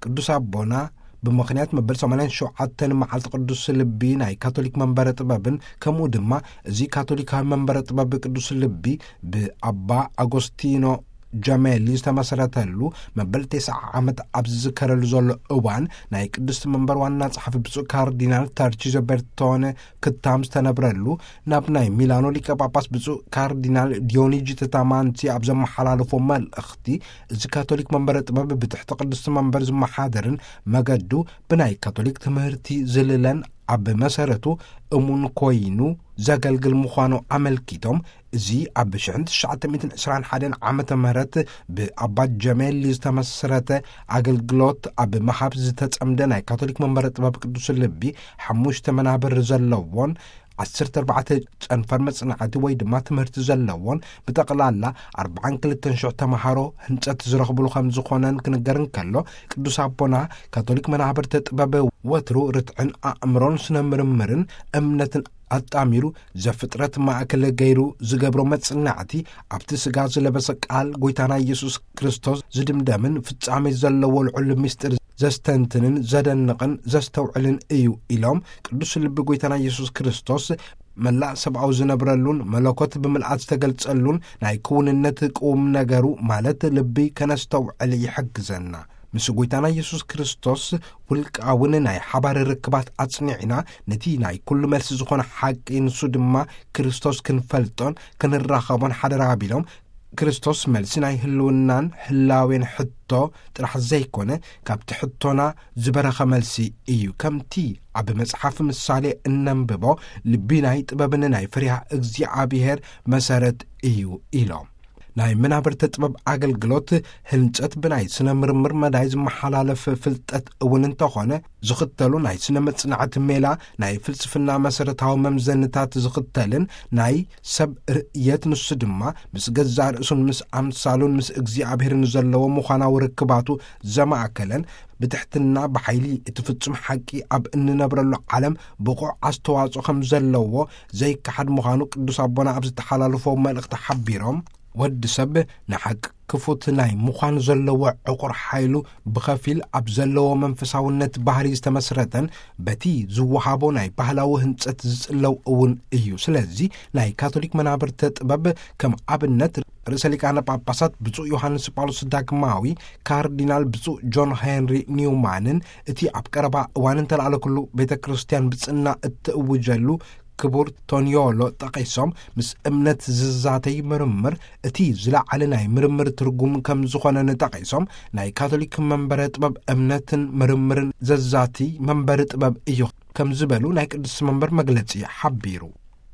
ቅዱስ ኣቦና ብምኽንያት መበል ሰማንያን ሸውዓተን መዓልቲ ቅዱስ ልቢ ናይ ካቶሊክ መንበረ ጥበብን፣ ከምኡ ድማ እዚ ካቶሊካዊ መንበረ ጥበብ ቅዱስ ልቢ ብኣባ ኣጎስቲኖ ጀሜሊ ዝተመሰረተሉ መበል ተስዓ ዓመት ኣብ ዝዝከረሉ ዘሎ እዋን፣ ናይ ቅድስቲ መንበር ዋና ጸሓፊ ብፁዕ ካርዲናል ታርቺዞ ቤርቶነ ክታም ዝተነብረሉ፣ ናብ ናይ ሚላኖ ሊቀ ጳጳስ ብፁዕ ካርዲናል ዲዮኒጂ ተታማንቲ ኣብ ዘመሓላለፎ መልእኽቲ፣ እዚ ካቶሊክ መንበረ ጥበብ ብትሕቲ ቅድስቲ መንበር ዝመሓደርን መገዱ ብናይ ካቶሊክ ትምህርቲ ዝልለን፣ ኣብ መሰረቱ እሙን ኮይኑ ዘገልግል ምዃኑ ኣመልኪቶም፣ እዚ ኣብ ሽሕን ትሽዓተ ሚእትን ዕስራን ሓደን ዓመተ ምህረት ብኣባ ጀሜሊ ዝተመስረተ ኣገልግሎት ኣብ ምሃብ ዝተጸምደ ናይ ካቶሊክ መንበረ ጥበብ ቅዱስ ልቢ፣ ሓሙሽተ መናብር ዘለዎን ዓሰርተ ኣርባዕተ ጨንፈር መጽናዕቲ ወይ ድማ ትምህርቲ ዘለዎን፣ ብጠቕላላ ኣርባዓን ክልተን ሽሕ ተምሃሮ ህንጸት ዝረኽብሉ ከም ዝኾነን ክንገር እንከሎ፣ ቅዱስ ኣቦና ካቶሊክ መናብርተ ጥበብ ወትሩ ርትዕን ኣእምሮን ስነ ምርምርን እምነትን ኣጣሚሩ ዘፍጥረት ማእከል ገይሩ ዝገብሮ መጽናዕቲ፣ ኣብቲ ስጋ ዝለበሰ ቃል ጎይታና ኢየሱስ ክርስቶስ ዝድምደምን ፍጻሜ ዘለዎ ልዑል ምስጢር ዘስተንትንን ዘደንቕን ዘስተውዕልን እዩ ኢሎም፣ ቅዱስ ልቢ ጎይታና ኢየሱስ ክርስቶስ መላእ ሰብኣዊ ዝነብረሉን መለኮት ብምልኣት ዝተገልጸሉን ናይ ክውንነት ቅውም ነገሩ፣ ማለት ልቢ፣ ከነስተውዕል ይሕግዘና። ምስ ጎይታና ኢየሱስ ክርስቶስ ውልቃውን ናይ ሓባር ርክባት ኣጽኒዕና፣ ነቲ ናይ ኩሉ መልሲ ዝኾነ ሓቂ፣ ንሱ ድማ ክርስቶስ፣ ክንፈልጦን ክንራኸቦን ሓደራ ኣቢሎም፣ ክርስቶስ መልሲ ናይ ህልውናን ህላዌን ሕቶ ጥራሕ ዘይኮነ፣ ካብቲ ሕቶና ዝበረኸ መልሲ እዩ። ከምቲ ኣብ መጽሓፍ ምሳሌ እነንብቦ፣ ልቢ ናይ ጥበብን ናይ ፍሪሃ እግዚኣብሔር መሰረት እዩ ኢሎም። ናይ መናብርተ ጥበብ ኣገልግሎት ህንጸት ብናይ ስነ ምርምር መዳይ ዝመሓላለፍ ፍልጠት እውን እንተኾነ፣ ዝኽተሉ ናይ ስነ መጽናዕቲ ሜላ ናይ ፍልስፍና መሰረታዊ መምዘንታት ዝኽተልን፣ ናይ ሰብ ርእየት፣ ንሱ ድማ ምስ ገዛእ ርእሱን ምስ ኣምሳሉን ምስ እግዚኣብሔርን ዘለዎ ምዃናዊ ርክባቱ ዘማእከለን፣ ብትሕትና ብሓይሊ እቲ ፍጹም ሓቂ ኣብ እንነብረሉ ዓለም ብቑዕ ኣስተዋጽኦ ከም ዘለዎ ዘይከሓድ ምዃኑ ቅዱስ ኣቦና ኣብ ዝተሓላለፎ መልእኽቲ ሓቢሮም፣ ወዲ ሰብ ንሓቂ ክፉት ናይ ምዃን ዘለዎ ዕቑር ሓይሉ ብኸፊል ኣብ ዘለዎ መንፈሳውነት ባህሪ ዝተመስረተን በቲ ዝወሃቦ ናይ ባህላዊ ህንጸት ዝጽለው እውን እዩ። ስለዚ ናይ ካቶሊክ መናብርተ ጥበብ ከም ኣብነት ርእሰ ሊቃነ ጳጳሳት ብፁዕ ዮሃንስ ጳውሎስ ዳግማዊ፣ ካርዲናል ብፁዕ ጆን ሄንሪ ኒውማንን እቲ ኣብ ቀረባ እዋን እንተለዓለ ኩሉ ቤተ ክርስቲያን ብጽና እትእውጀሉ ክቡር ቶኒዮሎ ጠቒሶም፣ ምስ እምነት ዝዛተይ ምርምር እቲ ዝለዓለ ናይ ምርምር ትርጉም ከም ዝኾነ ንጠቒሶም፣ ናይ ካቶሊክ መንበረ ጥበብ እምነትን ምርምርን ዘዛቲ መንበሪ ጥበብ እዩ ከም ዝበሉ ናይ ቅዱስ መንበር መግለጺ ሓቢሩ።